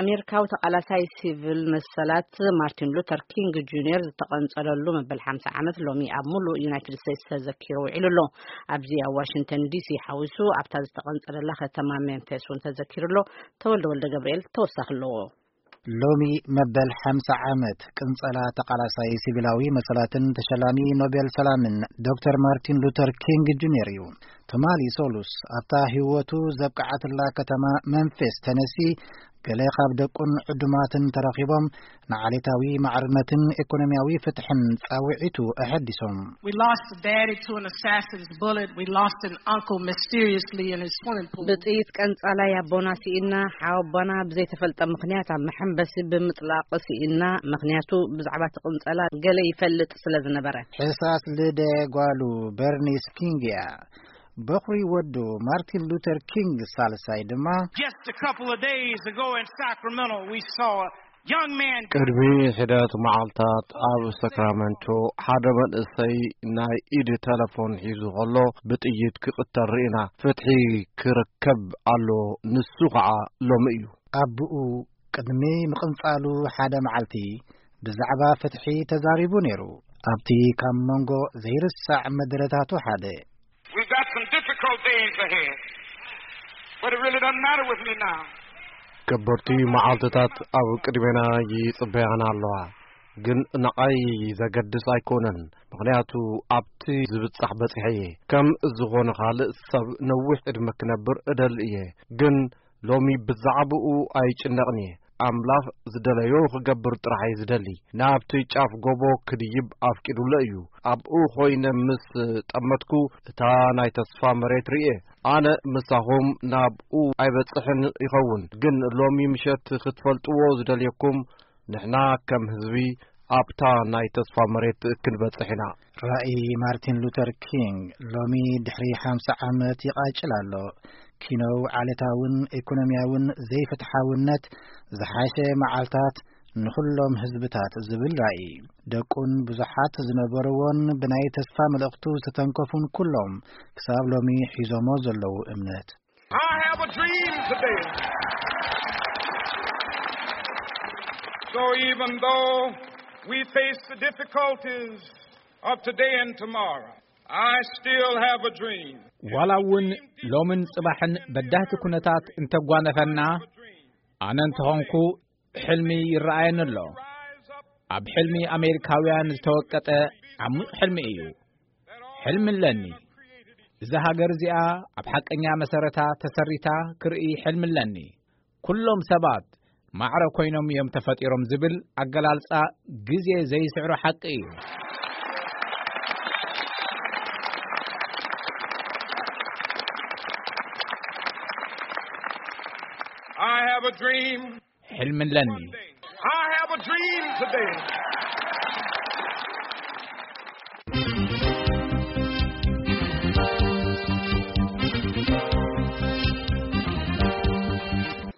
ኣሜሪካዊ ተቓላሳይ ሲቪል መሰላት ማርቲን ሉተር ኪንግ ጁኒየር ዝተቐንጸለሉ መበል ሓምሳ ዓመት ሎሚ ኣብ ሙሉእ ዩናይትድ ስቴትስ ተዘኪሩ ውዒሉ ኣሎ። ኣብዚ ኣብ ዋሽንግተን ዲሲ ሓዊሱ ኣብታ ዝተቐንጸለላ ከተማ ሜምፊስ እውን ተዘኪሩ ኣሎ። ተወልደ ወልደ ገብርኤል ተወሳኺ ኣለዎ። ሎሚ መበል ሓምሳ ዓመት ቅንጸላ ተቓላሳይ ሲቪላዊ መሰላትን ተሸላሚ ኖቤል ሰላምን ዶክተር ማርቲን ሉተር ኪንግ ጁኒየር እዩ። ትማሊ ሶሉስ ኣብታ ህይወቱ ዘብቅዓትላ ከተማ መንፊስ ተነሲ ገለ ካብ ደቁን ዕዱማትን ተረኺቦም ንዓሌታዊ ማዕርነትን ኢኮኖሚያዊ ፍትሕን ጻውዒቱ ኣሐዲሶም። We lost a daddy to an assassin's bullet. We lost an uncle mysteriously in his swimming pool. ብጥይት ቀንጻላይ ኣቦና ስኢና፣ ሓወቦና ብዘይተፈልጠ ምኽንያት ኣብ መሐንበሲ ብምጥላቕ ስኢና። ምኽንያቱ ብዛዕባ እቲ ቅንጸላ ገለ ይፈልጥ ስለ ዝነበረ። ሕሳስ ልደ ጓሉ በርኒስ ኪንግ እያ። በኹሪ ወዱ ማርቲን ሉተር ኪንግ ሳልሳይ ድማ Just a couple of days ago in Sacramento, we saw a young man ቅድሚ ሕደት መዓልታት ኣብ ሰክራመንቶ ሓደ መንእሰይ ናይ ኢድ ተለፎን ሒዙ ከሎ ብጥይት ክቕተል ርኢና። ፍትሒ ክርከብ ኣሎ፣ ንሱ ኸዓ ሎሚ እዩ። ኣቦኡ ቅድሚ ምቕንጻሉ ሓደ መዓልቲ ብዛዕባ ፍትሒ ተዛሪቡ ነይሩ። ኣብቲ ካብ መንጎ ዘይርሳዕ መደረታቱ ሓደ We've got some difficult days ahead, but it really doesn't matter with me now. ከበድቲ መዓልትታት ኣብ ቅድሜና ይጽበያና ኣለዋ፣ ግን ንዓይ ዘገድስ ኣይኮነን፣ ምኽንያቱ ኣብቲ ዝብጻሕ በጺሐ እየ። ከም ዝኾነ ካልእ ሰብ ነዊሕ ዕድመ ክነብር እደሊ እየ፣ ግን ሎሚ ብዛዕባኡ ኣይጭነቕን እየ። ኣምላኽ ዝደለዮ ክገብር ጥራሕ እየ ዝደሊ። ናብቲ ጫፍ ጎቦ ክድይብ ኣፍቂዱለ እዩ። ኣብኡ ኮይነ ምስ ጠመትኩ እታ ናይ ተስፋ መሬት ርእየ። ኣነ ምሳኹም ናብኡ ኣይበጽሕን ይኸውን፣ ግን ሎሚ ምሸት ክትፈልጥዎ ዝደልየኩም ንሕና ከም ህዝቢ ኣብታ ናይ ተስፋ መሬት ክንበጽሕ ኢና። ራእይ ማርቲን ሉተር ኪንግ ሎሚ ድሕሪ ሓምሳ ዓመት ይቓጭል ኣሎ። ኪኖው ዓሌታውን ኢኮኖሚያውን ዘይፍትሓውነት፣ ዝሓሸ መዓልታት ንኹሎም ህዝብታት ዝብል ራእይ። ደቁን ብዙሓት ዝነበርዎን ብናይ ተስፋ መልእኽቱ ዝተተንከፉን ኩሎም ክሳብ ሎሚ ሒዞሞ ዘለዉ እምነት። I have a dream today. So even though we face the difficulties of today and tomorrow, I still have a dream. ዋላ እውን ሎምን ጽባሕን በዳህቲ ኩነታት እንተጓነፈና፣ ኣነ እንተኾንኩ ሕልሚ ይረኣየኒ ኣሎ። ኣብ ሕልሚ ኣሜሪካውያን ዝተወቀጠ ዓሙቕ ሕልሚ እዩ። ሕልሚ ኣለኒ። እዛ ሃገር እዚኣ ኣብ ሓቀኛ መሰረታ ተሰሪታ ክርኢ ሕልሚ ኣለኒ። ኩሎም ሰባት ማዕረ ኮይኖም እዮም ተፈጢሮም ዝብል ኣገላልጻ ግዜ ዘይስዕሮ ሓቂ እዩ። I have a dream. ሕልሚ ኣለኒ። I have a dream today.